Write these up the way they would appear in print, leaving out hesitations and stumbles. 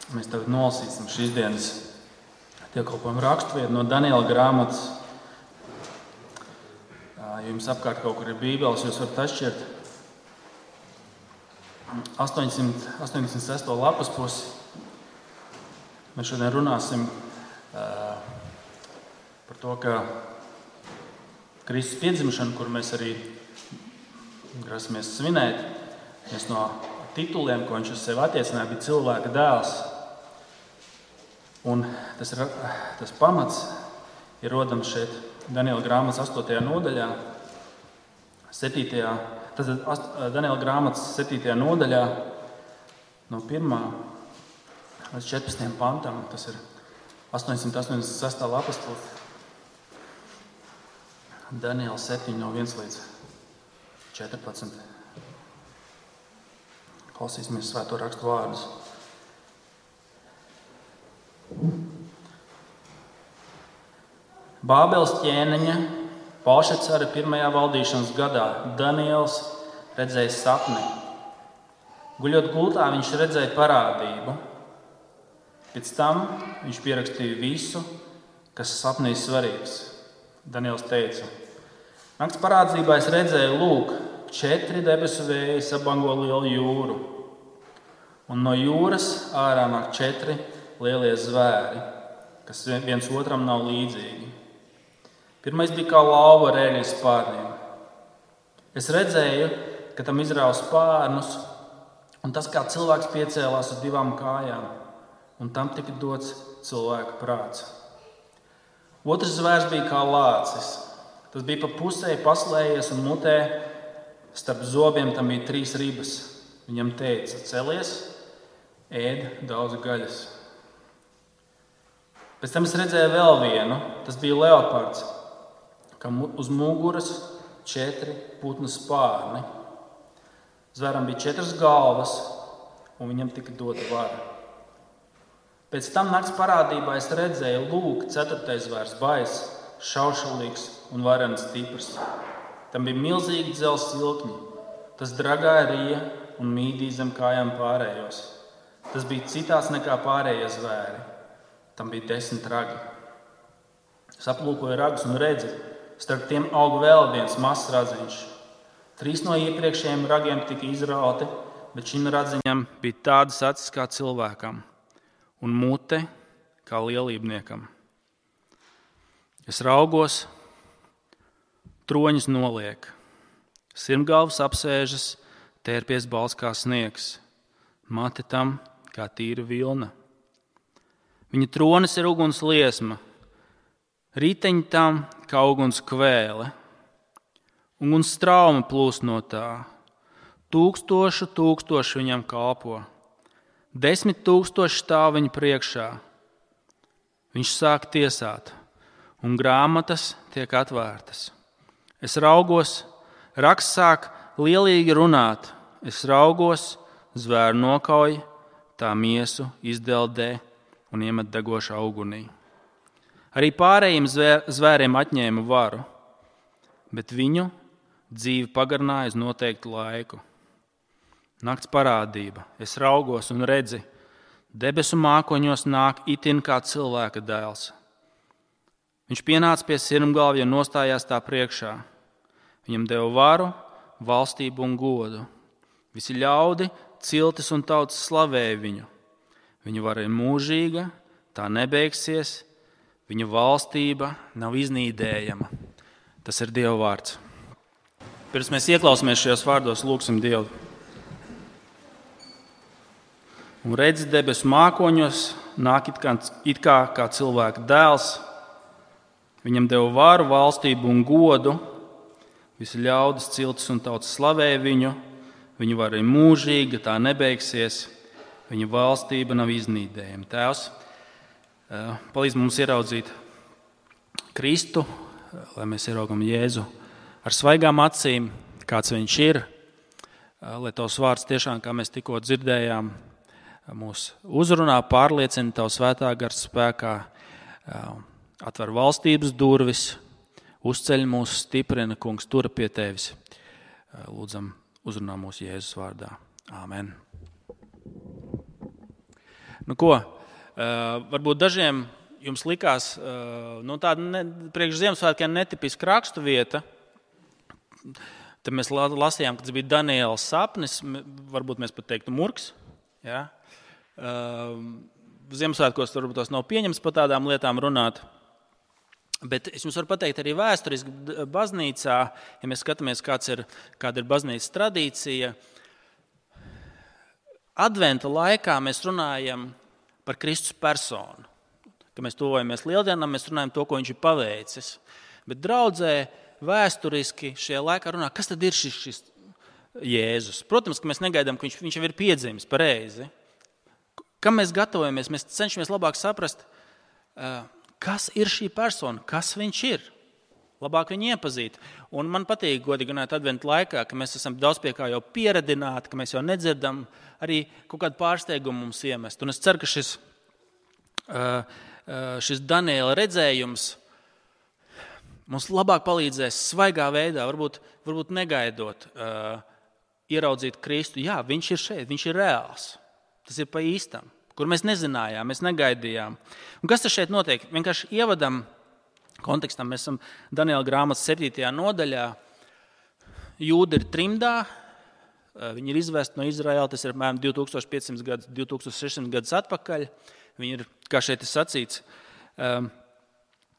Mēs tagad nolasīsim šīs dienas dievkalpojuma raksturvietu no Daniela grāmatas. Ja jums apkārt kaut kur ir bībeles, jūs varat atšķirt 886. lapas pusi. Mēs šodien runāsim par to, ka Kristus piedzimšana, kur mēs arī grasamies svinēt, viens no tituliem, ko viņš uz sevi attiecināja, bija cilvēka dēls. Un tas pamats ir rodams šeit Daniela grāmatas 8. nodaļā, 7. Daniela grāmatas 7. nodaļā no 1. līdz 14. pantam, tas ir 886. lapas pusi. Daniela 7 no 1 līdz 14. Klausīsimies svēto rakstu vārdus. Bābeles ķēniņa Pelšacara 1. valdīšanas gadā Daniels redzēja sapni. Guļot gultā, viņš redzēja parādību. Pēc tam viņš pierakstīja visu, kas sapnī svarīgs. Daniels teica: nakts parādzībā es redzēju, lūk, 4 debesu vēji sabango lielu jūru, un no jūras ārā nāk 4 lielie zvēri, kas viens otram nav līdzīgi. Pirmais bija kā lauva ar ēļu spārniem. Es redzēju, ka tam izrāva spārnus, un tas kā cilvēks piecēlās uz 2 kājām, un tam tika dots cilvēka prāts. Otrs zvērs bija kā lācis. Tas bija pa pusē paslējies un mutē starp zobiem tam bija 3 ribas. Viņam teica: celies, ēd daudz gaļas. Pēc tam es redzēju vēl vienu. Tas bija leopards, kam uz muguras 4 putnu spārni. Zvēram bija 4 galvas, un viņam tika dota vara. Pēc tam nakts parādībā es redzēju, lūk, 4. zvērs baiss, šaušalīgs un varens stiprs. Tam bija milzīgi dzelzs ilkņi. Tas dragāja rija un mīdīja zem kājām pārējos. Tas bija citāds nekā pārējie zvēri. Tam bija 10 ragi. Es aplūkoju ragus un redzu, starp tiem aug vēl viens mazs radziņš. 3 no iepriekšējiem ragiem tika izrauti, bet šim radziņam bija tādas acis kā cilvēkam un mute kā lielībniekam. Es raugos, troņus noliek, sirmgalvas apsēžas, tērpies balts kā sniegs, mati tam kā tīra vilna. Viņa tronis ir uguns liesma, riteņi tam kā uguns kvēle, uguns straumi plūst no tā, 1000 viņam kalpo, 10 000 stāv viņa priekšā. Viņš sāk tiesāt, un grāmatas tiek atvērtas. Es raugos, raksts sāk lielīgi runāt, es raugos, zvēru nokauj, tā miesu izdeldē un iemet degošā ugunī. Arī pārējiem zvēriem atņēma varu, bet viņu dzīve pagarināja uz noteiktu laiku. Nakts parādība, es raugos un redzi, debesu mākoņos nāk itin kā cilvēka dēls. Viņš pienāca pie sirmgalvja un nostājās tā priekšā. Viņam deva varu, valstību un godu. Visi ļaudi, ciltis un tautas slavēja viņu. Viņa vara ir mūžīga, tā nebeigsies, viņa valstība nav iznīdējama. Tas ir Dieva vārds. Pirms mēs ieklausāmies šajos vārdos, lūgsim Dievu. Un redzi, debesu mākoņos nāk it kā cilvēka dēls. Viņam deva varu, valstību un godu. Visi ļaudis, ciltis un tautas slavēja viņu. Viņa vara ir mūžīga, tā nebeigsies. Viņa valstība nav iznīdējama. Tēvs, palīdz mums ieraudzīt Kristu, lai mēs ieraugam Jēzu ar svaigām acīm, kāds viņš ir, lai tavs vārds tiešām, kā mēs tikko dzirdējām, mūs uzrunā, pārliecina tavu svētā gara spēkā, atver valstības durvis, uzceļ mūs, stiprina, kungs, tura pie tevis. Lūdzam, uzrunā mūs Jēzus vārdā. Āmen. Nu ko, varbūt dažiem jums likās tāda priekš Ziemassvētkiem netipiska rakstu vieta. Tad mēs lasījām, ka tas bija Daniela sapnis, varbūt mēs pat teiktu murgs. Ja? Ziemassvētkos varbūt tas nav pieņems par tādām lietām runāt. Bet es jums varu pateikt arī vēsturiski baznīcā, ja mēs skatāmies, kāda ir baznīcas tradīcija. Adventa laikā mēs runājam par Kristus personu. Kad mēs tuvojamies Lieldienām, mēs runājam to, ko viņš ir paveicis. Bet draudzē vēsturiski šajā laikā runā, kas tad ir šis Jēzus. Protams, ka mēs negaidām, ka viņš jau ir piedzimis pareizi. Kam mēs gatavojamies? Mēs cenšamies labāk saprast, kas ir šī persona, kas viņš ir. Labāk viņu iepazīt. Un man patīk, godīgi runāt, adventa laikā, ka mēs esam daudz pie kā jau pieradināti, ka mēs jau nedzirdam arī kaut kādu pārsteigumu mums iemest. Un es ceru, ka šis Daniela redzējums mums labāk palīdzēs svaigā veidā, varbūt negaidot, ieraudzīt Kristu. Jā, viņš ir šeit, viņš ir reāls. Tas ir pa īstam, kur mēs nezinājām, mēs negaidījām. Un kas tas šeit notiek? Vienkārši ievadam kontekstam. Mēs esam Daniela grāmatas 7. nodaļā. Jūdi ir trimdā, viņi ir izvesti no Izraēla, tas ir apmēram 2500 gadus, 2600 gadus atpakaļ. Viņi ir, kā šeit ir sacīts,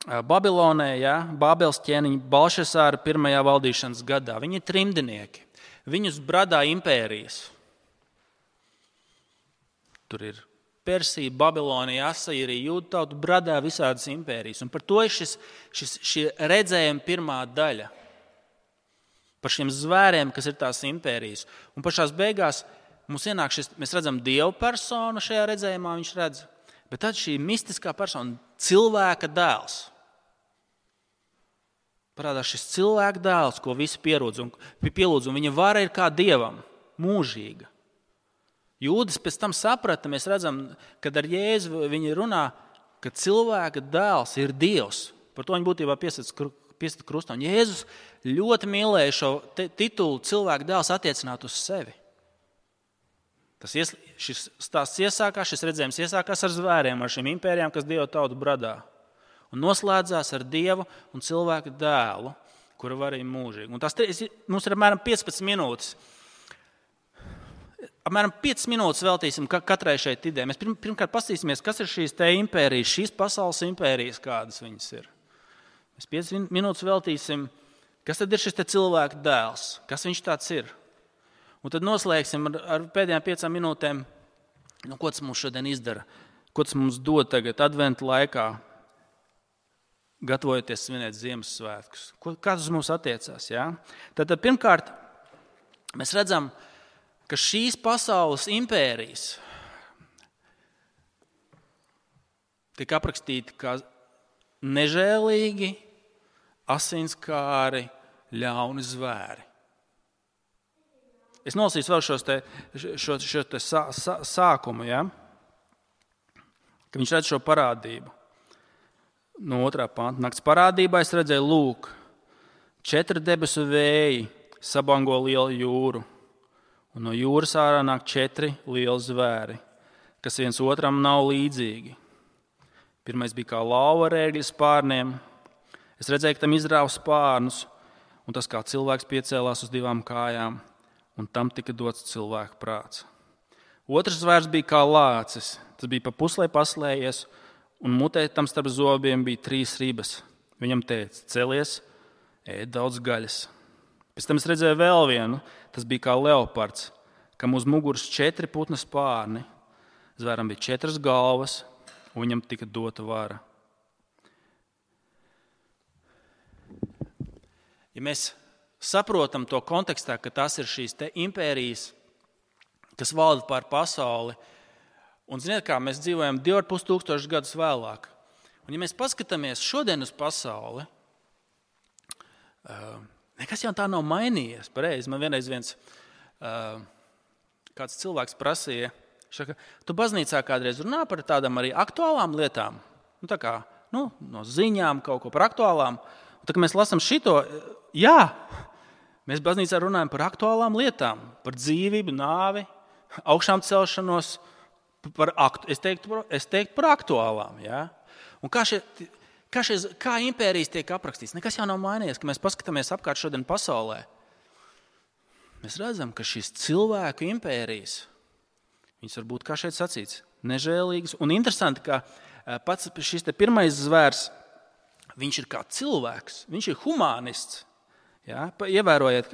Babilonē, Bābeles ķēniņa Balšasāra pirmajā valdīšanas gadā. Viņi ir trimdinieki. Viņus bradā impērijas. Tur ir Persija, Babilonija, Asīrija, Jūdu tautu bradā visādas impērijas. Un par to ir šī redzējuma pirmā daļa. Par šiem zvēriem, kas ir tās impērijas. Un pašās beigās mums ienāk mēs redzam Dievu personu šajā redzējumā, viņš redz. Bet tad šī mistiskā persona, cilvēka dēls. Parādās šis cilvēka dēls, ko visi pielūdz, un viņa vara ir kā Dievam, mūžīga. Jūdas pēc tam saprata, mēs redzam, kad ar Jēzu viņi runā, ka cilvēka dēls ir Dievs. Par to viņi būtībā piesita krustā. Un Jēzus ļoti mīlēja šo titulu cilvēka dēls attiecināt uz sevi. Šis stāsts iesākās, šis redzējums iesākās ar zvēriem, ar šīm impērijām, kas Dievu tautu bradā. Un noslēdzās ar Dievu un cilvēka dēlu, kura var arī mūžīgi. Un mums ir apmēram 15 minūtes. Apmēram 5 minūtes veltīsim katrai šeit idejai. Mēs pirmkārt pastīsimies, kas ir šīs te impērijas, šīs pasaules impērijas, kādas viņas ir. Mēs 5 minūtes veltīsim, kas tad ir šis te cilvēka dēls, kas viņš tāds ir. Un tad noslēgsim ar pēdējām 5 minūtēm, ko tas mums šodien izdara, ko tas mums dod tagad adventa laikā, gatavojoties svinēt Ziemassvētkus. Kā tas mums attiecās? Ja? Tad pirmkārt, mēs redzam, ka šīs pasaules impērijas tiek aprakstīti kā nežēlīgi, asinskāri, ļauni zvēri. Es nolasīšu vēl šo sākumu, ja? Ka viņš redz šo parādību. No 2. panta. Nakts parādībā es redzēju, lūk, 4 debesu vēji sabango lielu jūru, un no jūras ārā nāk 4 lieli zvēri, kas viens otram nav līdzīgi. Pirmais bija kā lauva ar ērgļa spārniem. Es redzēju, ka tam izrāva spārnus, un tas kā cilvēks piecēlās uz 2 kājām. Un tam tika dots cilvēka prāts. Otrs zvērs bija kā lācis. Tas bija pa puslē paslējies, un mutē tam starp zobiem bija 3 ribas. Viņam teica, celies, ēd daudz gaļas. Pēc tam es redzēju vēl vienu. Tas bija kā leopards, kam uz muguras 4 putna spārni. Zvēram bija 4 galvas, un viņam tika dota vara. Ja mēs saprotam to kontekstā, ka tas ir šīs te impērijas, kas valda pār pasauli. Un ziniet kā, mēs dzīvojam 2500 gadus vēlāk. Un ja mēs paskatāmies šodien uz pasauli, nekas jau tā nav mainījies. Pareizi, man vienreiz kāds cilvēks prasīja, šaka, tu baznīcā kādreiz runā par tādām arī aktuālām lietām? Tā kā, no ziņām kaut ko par aktuālām. Un tā kā mēs lasām šito, jā, mēs baznīcā runājam par aktuālām lietām, par dzīvību, nāvi, augšām celšanos, Es teiktu par aktuālām. Ja? Un kā impērijas tiek aprakstīts? Nekas jau nav mainījies, ka mēs paskatāmies apkārt šodien pasaulē. Mēs redzam, ka šīs cilvēku impērijas, viņas var būt, kā šeit sacīts, nežēlīgas. Un interesanti, ka pats šis te pirmais zvērs, viņš ir kā cilvēks, viņš ir humanists. Ja? Ievērojiet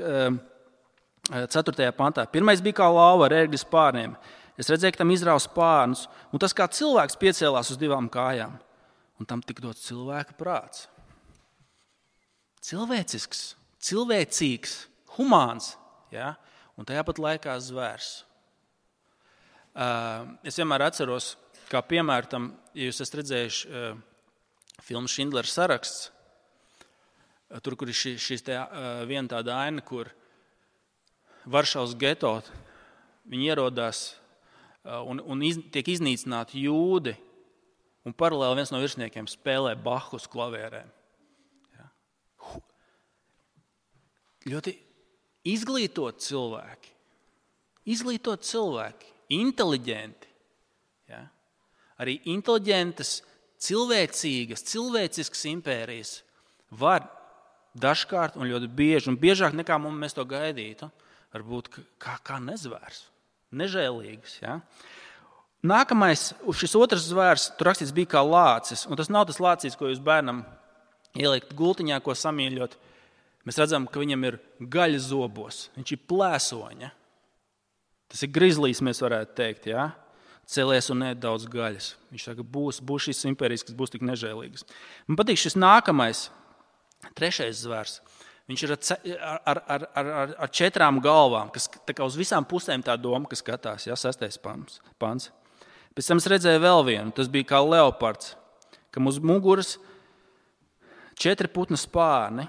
4. pantā. Pirmais bija kā lauva ar ērgļu spārniem. Es redzēju, ka tam izrāva spārnus, un tas kā cilvēks piecēlās uz 2 kājām. Un tam tika dots cilvēka prāts. Cilvēcisks, cilvēcīgs, humāns, ja? Un tajā pat laikā zvērs. Es vienmēr atceros, kā piemēram tam, ja jūs esat redzējuši filmu Šindlera saraksts, tur, kur ir šis viena tāda aina, kur Varšavas geto, viņi ierodās un tiek iznīcināti jūdi, un paralēli viens no virsniekiem spēlē Bahu uz klavierēm. Ja. Ļoti izglītoti cilvēki, inteliģenti. Ja. Arī inteliģentas, cilvēciskas impērijas var dažkārt un ļoti bieži, un biežāk nekā mēs to gaidītu, varbūt kā nezvērs. Nežēlīgas. Ja? Nākamais, šis otrs zvērs, tur rakstīts bija kā lācis, un tas nav tas lācis, ko jūs bērnam ielikt gultiņā, ko samīļot. Mēs redzam, ka viņam ir gaļa zobos, viņš ir plēsoņa. Tas ir grizlīs, mēs varētu teikt, ja? Celies un ēd daudz gaļas. Viņš saka, būs šīs impērijas, kas būs tik nežēlīgas. Man patīk šis nākamais, 3. zvērs. Viņš ir ar 4 galvām, kas tā kā uz visām pusēm tā doma, kas skatās, ja, 6. pants. Pēc tam es redzēju vēl vienu, tas bija kā leopards, kam uz muguras 4 putnu spārni,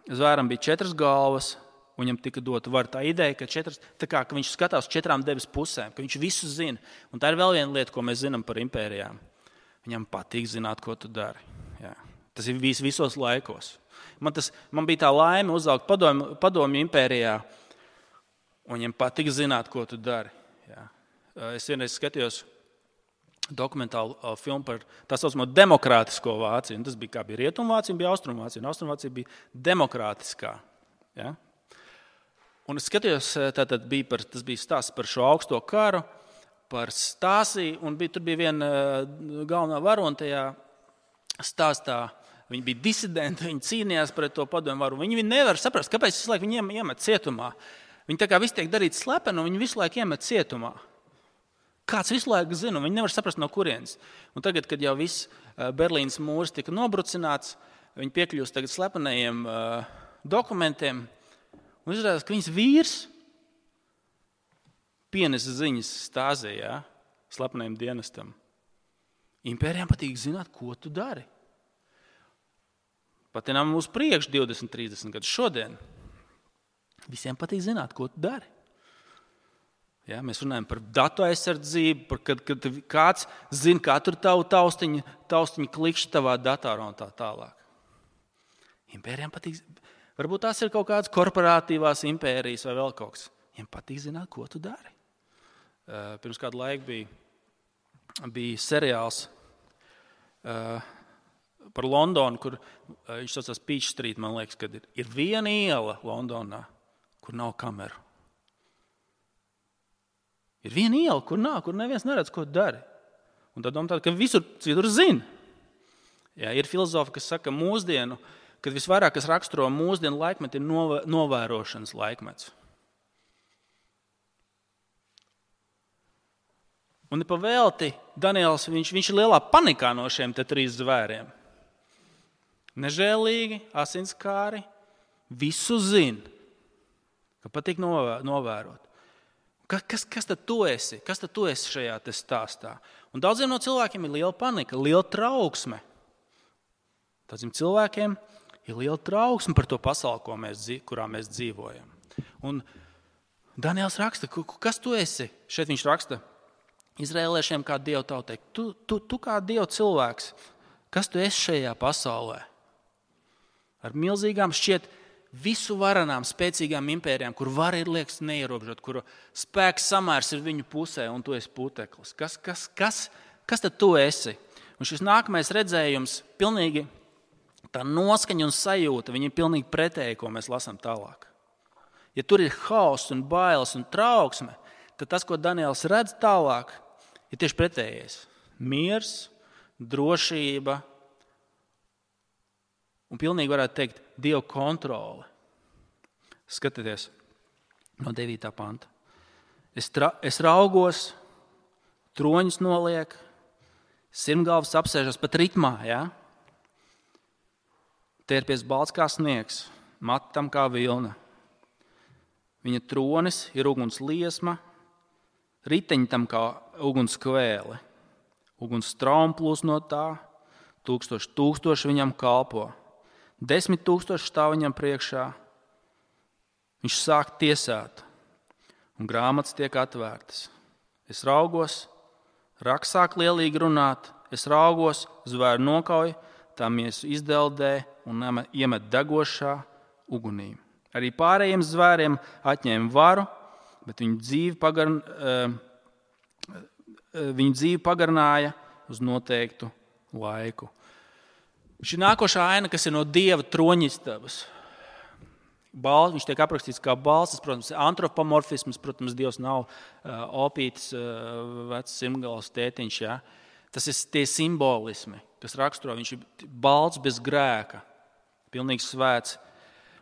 zvēram bija 4 galvas, un viņam tika dota var. Tā ideja, ka viņš skatās uz 4 debes pusēm, ka viņš visu zina. Un tā ir vēl viena lieta, ko mēs zinām par impērijām. Viņam patīk zināt, ko tu dari. Jā. Tas ir visos laikos. Man bija tā laime uzaugt padomju impērijā, un viņiem patika zināt, ko tu dari. Jā. Es vienreiz skatījos dokumentālu filmu par tā saucamo demokrātisko Vāciju. Tas bija Rietumvācija, bija Austrumvācija, un Austrumvācija bija demokrātiskā. Ja? Un es skatījos, tas bija stāsts par šo augsto karu, par Stāsiju, un tur bija viena galvenā varona tajā stāstā. Viņi bija disidenti, viņi cīnījās pret to padomju varu. Viņi nevar saprast, kāpēc visu laiku viņi iemet cietumā. Viņi tā kā viss tiek darīts slepeni, un viņi visu laiku iemet cietumā. Kāds visu laiku zina, un viņi nevar saprast, no kurienes. Un tagad, kad jau viss Berlīnas mūris tika nobrucināts, viņi piekļūst tagad slepenajiem dokumentiem, un izrādās, ka viņas vīrs pienes ziņas Stāzijā, slepenajiem dienestam. Impērijām patīk zināt, ko tu dari. Patinām uz priekšu 20, 30 gadus šodien. Visiem patīk zināt, ko tu dari. Ja, mēs runājam par datu aizsardzību, kad kāds zina katru tavu taustiņu klikšķi tavā datorā un tā tālāk. Impērijām patīk, varbūt tās ir kaut kādas korporatīvās impērijas vai vēl kaut kas. Viņiem patīk zināt, ko tu dari. Pirms kādu laiku bija seriāls par Londonu, kur viņš saucās Peach Street, man liekas, kad ir viena iela Londonā, kur nav kameru. Ir viena iela, kur neviens neredz, ko dari. Un tad doma tāda, ka visur citur zina. Jā, ir filozofi, kas saka mūsdienu, kad visvairāk, kas raksturo mūsdienu laikmetu, ir novērošanas laikmets. Un pavēlti Daniels, viņš ir lielā panikā no šiem 3 zvēriem. Nežēlīgi, asinskāri, visu zina, ka patīk novērot. Kas tad tu esi? Kas tad tu esi šajā stāstā? Un daudziem no cilvēkiem ir liela panika, liela trauksme. Daudziem cilvēkiem ir liela trauksme par to pasauli, kurā mēs dzīvojam. Un Daniels raksta, kas tu esi? Šeit viņš raksta izrēliešiem kā dievu tautai. Tu kā dievu cilvēks, kas tu esi šajā pasaulē? Ar milzīgām šķiet visu varanām, spēcīgām impērijām, kur vara ir liekas neierobežot, kur spēks samērs ir viņu pusē un tu esi puteklis. Kas tad tu esi? Un šis nākamais redzējums, pilnīgi tā noskaņa un sajūta, viņi ir pilnīgi pretēji, ko mēs lasām tālāk. Ja tur ir hauss un bailes un trauksme, tad tas, ko Daniels redz tālāk, ir tieši pretējais. Miers, drošība un pilnīgi varētu teikt Dieva kontrole. Skatieties no 9. panta. Es raugos, troņus noliek, sirmgalvas apsēžas pat ritmā, ja? Tērpies balts kā sniegs, matam kā vilna. Viņa tronis ir uguns liesma, riteņi tam kā uguns kvēle. Uguns straumi plūs no tā, tūkstoši viņam kalpo. 10,000 stāv viņam priekšā. Viņš sāk tiesāt, un grāmatas tiek atvērtas. Es raugos, raksts sāk lielīgi runāt, es raugos, zvēru nokauj, tā miesu izdeldē un iemet degošā ugunī. Arī pārējiem zvēriem atņēma varu, bet viņu dzīvi pagarināja uz noteiktu laiku. Šī nākošā aina, kas ir no Dieva troņistabas. Viņš tiek aprakstīts kā balss, protams, antropomorfisms, protams, Dievs nav opītis vecs simtgalvs tētiņš. Ja? Tas ir tie simbolismi, kas raksturo, viņš ir balts bez grēka, pilnīgi svēts.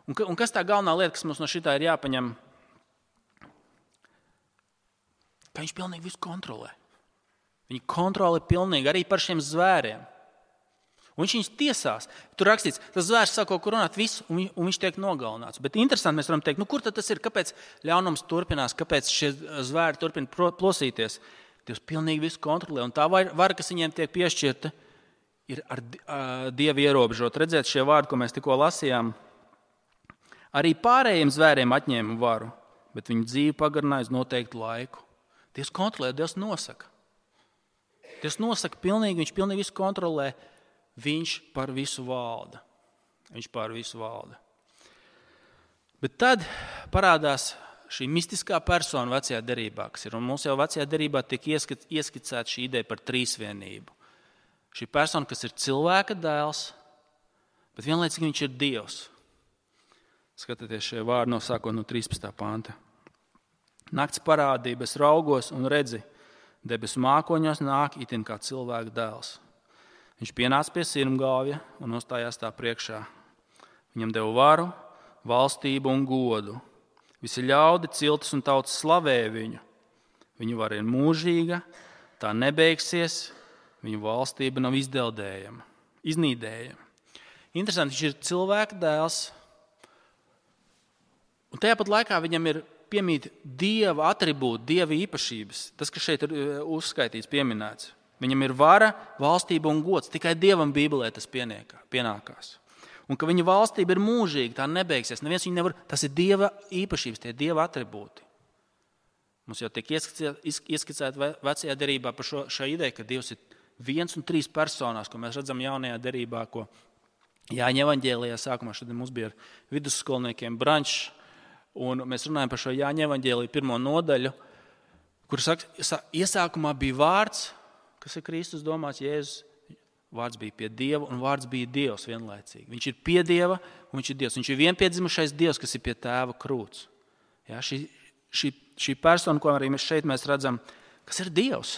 Un kas tā galvenā lieta, kas mums no šitā ir jāpaņem? Ka viņš pilnīgi visu kontrolē. Viņa kontrole pilnīgi arī par šiem zvēriem. Un viņš viņus tiesās. Tur rakstīts, tas zvērs sāk kaut kur runāt visu, un viņš tiek nogalināts. Bet interesanti, mēs varam teikt, kur tad tas ir? Kāpēc ļaunums turpinās? Kāpēc šie zvēri turpina plosīties? Dievs pilnīgi visu kontrolē. Un tā vara, kas viņiem tiek piešķirta, ir ar Dievu ierobežot. Redzēt šie vārdi, ko mēs tikko lasījām. Arī pārējiem zvēriem atņēma varu, bet viņu dzīvi pagarināja uz noteiktu laiku. Dievs kontrolē, Dievs nosaka. Dievs nosaka pilnīgi, viņš pilnīgi visu kontrolē. Viņš par visu valda. Bet tad parādās šī mistiskā persona vecajā derībā, kas ir. Un mums jau vecajā derībā tiek ieskicēta šī ideja par trīsvienību. Šī persona, kas ir cilvēka dēls, bet vienlaicīgi viņš ir Dievs. Skatieties šie vārdi nosākot no 13. panta. Nakts parādība, es raugos un redzi, debesu mākoņos nāk itin kā cilvēka dēls. Viņš pienāca pie sirmgalvja un nostājās tā priekšā. Viņam deva varu, valstību un godu. Visi ļaudi, ciltis un tautas slavēja viņu. Viņu vara ir mūžīga, tā nebeigsies, viņu valstība nav iznīdējama. Interesanti, viņš ir cilvēka dēls, un tajā pat laikā viņam ir piemīt Dieva atribūti, Dieva īpašības. Tas, kas šeit ir uzskaitīts, pieminēts. Viņam ir vara, valstība un gods. Tikai Dievam Bībelē tas pienākās. Un ka viņa valstība ir mūžīga, tā nebeigsies. Neviens viņu nevar. Tas ir Dieva īpašības, tie Dieva atribūti. Mums jau tiek ieskicēta vecajā derībā par šo ideju, ka Dievs ir 1 un 3 personās, ko mēs redzam jaunajā derībā, ko Jāņa evaņģēlijā sākumā. Šodien mums bija ar vidusskolniekiem brančs, un mēs runājam par šo Jāņa evaņģēliju 1. nodaļu, kur iesākumā bija vārds, kas ir Kristus domāts, Jēzus. Vārds bija pie Dieva un vārds bija Dievs vienlaicīgi. Viņš ir pie Dieva un viņš ir Dievs. Viņš ir vienpiedzimušais Dievs, kas ir pie Tēva krūts. Ja, šī persona, ko arī mēs redzam, kas ir Dievs.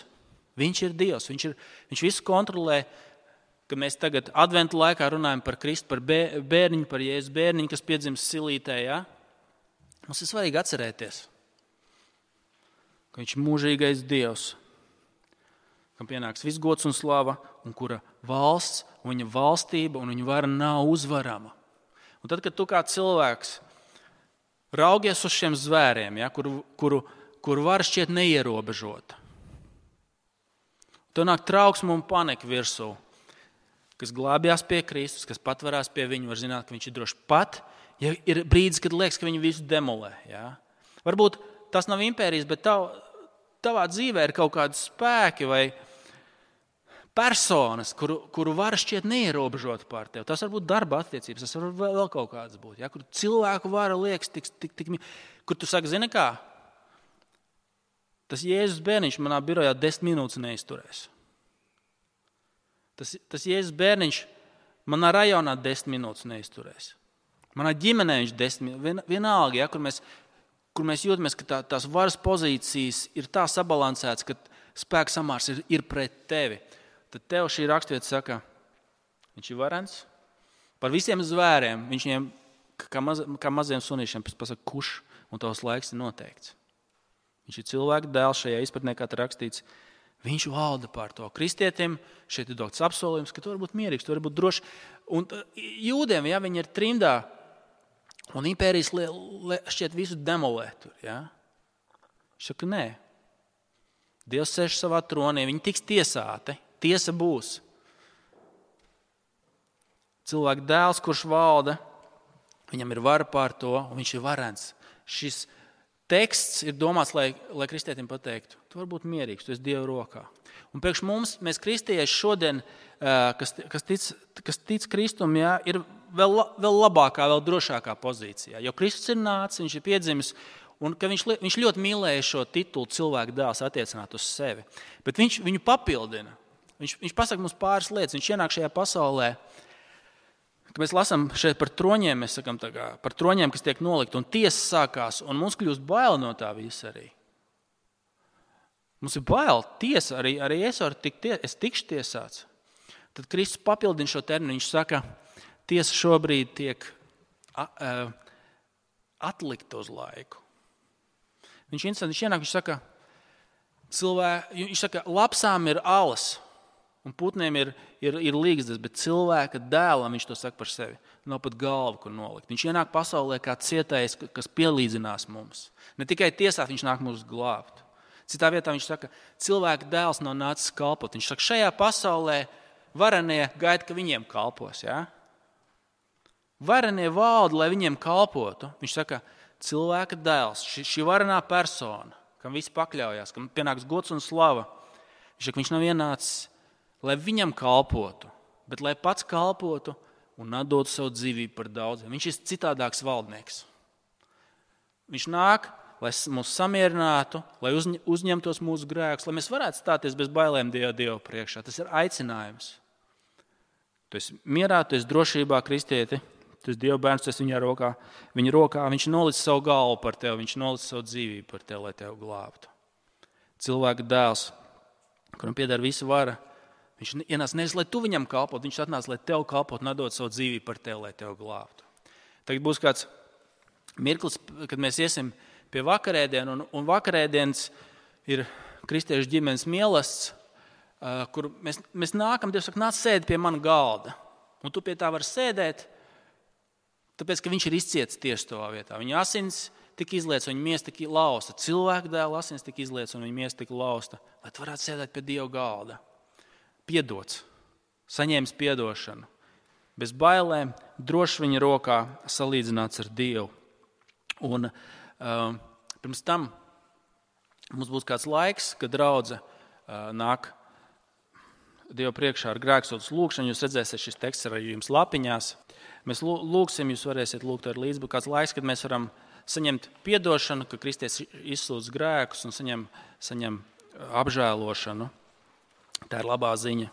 Viņš ir Dievs. Viņš visu kontrolē, ka mēs tagad adventu laikā runājam par Kristu, par bērniņu, par Jēzus bērniņu, kas piedzimst silītē. Ja? Mums ir svarīgi atcerēties, ka viņš ir mūžīgais Dievs, kam pienāks viss gods un slava, un kura valsts, un viņa valstība un viņa vara nav uzvarama. Un tad, kad tu kā cilvēks raugies uz šiem zvēriem, ja, kuru vara šķiet neierobežota, tev nāk trauksme un panika virsū, kas glābjās pie Kristus, kas patverās pie viņu, var zināt, ka viņš ir drošs pat, ja ir brīdis, kad liekas, ka viņi visu demolē. Ja. Varbūt tas nav impērijas, bet tavā dzīvē ir kaut kādi spēki vai personas, kuru var šķiet neierobežot pār tevi. Tas var būt darba attiecības, tas var vēl kaut kāds būt. Ja? Kur cilvēku vara liekas kur tu saki, zini kā? Tas Jēzus bērniņš manā birojā 10 minūtes neizturēs. Tas Jēzus bērniņš manā rajonā 10 minūtes neizturēs. Manā ģimenē viņš 10 minūtes. Vienalga, ja? Kur mēs jūtamies, ka tās varas pozīcijas ir tā sabalansētas, ka spēka samārs ir pret tevi. Tad tev šī rakstvieta saka, viņš ir varens. Par visiem zvēriem, viņš viņiem, kā maziem sunīšiem, pasaka, kurš, un tavs laiks ir noteikts. Viņš ir cilvēka dēls šajā izpratnē, kā te rakstīts. Viņš valda pār to. Kristietim šeit ir dots apsolījums, ka tu vari būt mierīgs, tu vari būt drošs. Un jūdiem, ja viņi ir trimdā, un impērijas šķiet visu demolē tur, ja? Viņš saka, nē. Dievs sēž savā tronī, viņi tiks tiesāti. Tiesa būs. Cilvēka dēls, kurš valda, viņam ir vara pār to, un viņš ir varens. Šis teksts ir domāts, lai kristietim pateiktu, tu vari būt mierīgs, tu esi Dieva rokā. Un priekš mums, mēs kristieši šodien, kas tic Kristum, ja, ir vēl labākā, vēl drošākā pozīcijā. Jo Kristus ir nācis, viņš ir piedzimis, un ka viņš ļoti mīlēja šo titulu cilvēku dēls attiecināt uz sevi. Bet viņš viņu papildina. Viņš pasaka mums pāris lietas. Viņš ienāk šajā pasaulē, ka mēs lasām šeit par troņiem, mēs sakam par troņiem, kas tiek nolikt, un tiesa sākās, un mums kļūst bail no tā visa arī. Mums ir bail, tiesa, arī es tikšu tiesāts. Tad Kristus papildina šo terminu, viņš saka, tiesa šobrīd tiek atlikta uz laiku. Viņš ienāk, viņš saka, lapsām ir alas, un putniem ir līgzdas, bet cilvēka dēlam, viņš to saka par sevi, nav pat galva, kur nolikt. Viņš ienāk pasaulē kā cietējs, kas pielīdzinās mums. Ne tikai tiesāt, viņš nāk mūs glābt. Citā vietā viņš saka, cilvēka dēls nav nācis kalpot. Viņš saka, šajā pasaulē varenie gaida, ka viņiem kalpos. Ja? Varenie valda, lai viņiem kalpotu. Viņš saka, cilvēka dēls, šī varenā persona, kam visi pakļaujās, kam pienāks gods un slava. Viņš saka, viņš nav ienācis, lai viņam kalpotu, bet lai pats kalpotu un atdotu savu dzīvību par daudziem. Viņš ir citādāks valdnieks. Viņš nāk, lai mūs samierinātu, lai uzņemtos mūsu grēkus, lai mēs varētu stāties bez bailēm Dieva priekšā. Tas ir aicinājums. Tu esi mierā, tu esi drošībā, kristieti, tu esi Dieva bērns, tu esi viņa rokā. Viņš nolicis savu galvu par tevi, viņš nolicis savu dzīvību par tevi, lai tevi glābtu. Cilvēka dēls, kuram pieder visa vara, viņš ienāca nevis, lai tu viņam kalpot, viņš atnāca, lai tev kalpot un atdot savu dzīvību par tevi, lai tev glābtu. Tagad būs kāds mirklis, kad mēs iesim pie vakarēdienu, un vakarēdienas ir kristiešu ģimenes mielasts, kur mēs nākam, Dievs saka, nāc sēdi pie mana galda. Un tu pie tā vari sēdēt, tāpēc, ka viņš ir izciets tieši tavā vietā. Viņa asins tika izliets, viņa miesa tika lausta. Cilvēka dēla asins tika izliets, un viņa miesa tika lausta, lai tu varētu sēdēt pie Dieva galda. Piedots, saņēmis piedošanu, bez bailēm, droši viņa rokā salīdzināts ar Dievu. Un pirms tam mums būs kāds laiks, kad draudze nāk Dieva priekšā ar grēksotas lūkšanu. Jūs redzēsiet, šis teksts arī jums lapiņās. Mēs lūksim, jūs varēsiet lūgt ar līdzi, bet kāds laiks, kad mēs varam saņemt piedošanu, ka Kristies izsūdz grēkus un saņem apžēlošanu. Tā ir labā ziņa.